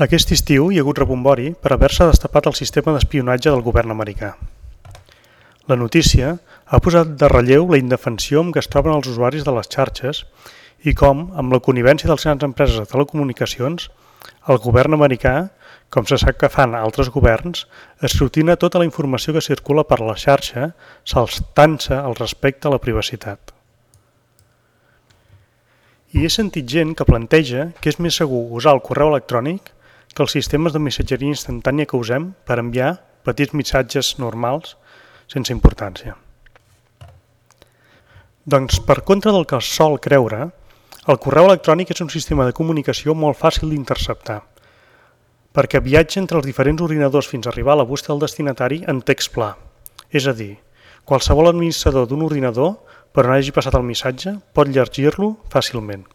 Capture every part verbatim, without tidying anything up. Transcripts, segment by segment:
Aquest estiu hi ha hagut rebombori per haver-se destapat el sistema d'espionatge del govern americà. La notícia ha posat de relleu la indefensió amb què es troben els usuaris de les xarxes i com, amb la connivència de les grans empreses de telecomunicacions, el govern americà, com se sap que fan altres governs, escrutina tota la informació que circula per la xarxa, saltant-se al respecte a la privacitat. I he sentit gent que planteja que és més segur usar el correu electrònic que els sistemes de missatgeria instantània que usem per enviar petits missatges normals sense importància. Doncs, per contra del que es sol creure, el correu electrònic és un sistema de comunicació molt fàcil d'interceptar, perquè viatja entre els diferents ordinadors fins a arribar a la bústia del destinatari en text pla. És a dir, qualsevol administrador d'un ordinador, per on hagi passat el missatge, pot llegir-lo fàcilment.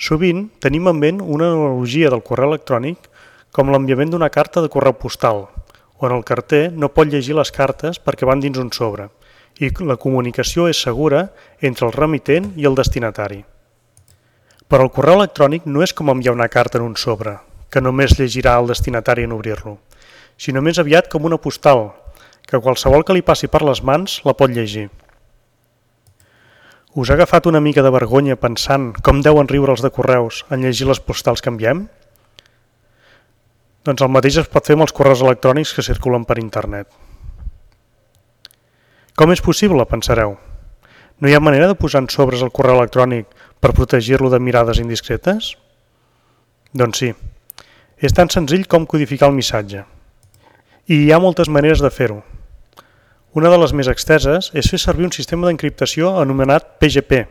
Sovint tenim en ment una analogia del correu electrònic com l'enviament d'una carta de correu postal, on el carter no pot llegir les cartes perquè van dins un sobre, i la comunicació és segura entre el remitent i el destinatari. Però el correu electrònic no és com enviar una carta en un sobre, que només llegirà el destinatari en obrir-lo, sinó més aviat com una postal, que qualsevol que li passi per les mans la pot llegir. Us ha agafat una mica de vergonya pensant com deuen riure els de correus en llegir les postals que enviem? Doncs el mateix es pot fer amb els correus electrònics que circulen per internet. Com és possible, pensareu? No hi ha manera de posar en sobres el correu electrònic per protegir-lo de mirades indiscretes? Doncs sí, és tan senzill com codificar el missatge. I hi ha moltes maneres de fer-ho. Una de les més exteses és fer servir un sistema d'encriptació anomenat P G P,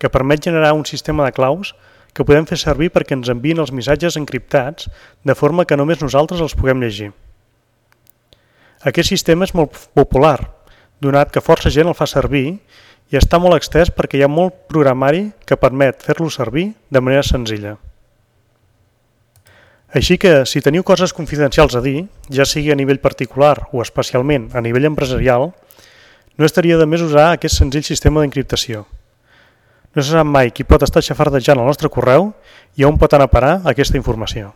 que permet generar un sistema de claus que podem fer servir perquè ens enviïn els missatges encriptats de forma que només nosaltres els puguem llegir. Aquest sistema és molt popular, donat que força gent el fa servir i està molt extès perquè hi ha molt programari que permet fer-lo servir de manera senzilla. Així que, si teniu coses confidencials a dir, ja sigui a nivell particular o especialment a nivell empresarial, no estaria de més usar aquest senzill sistema d'encriptació. No se sap mai qui pot estar xafardejant el nostre correu i on pot anar a parar aquesta informació.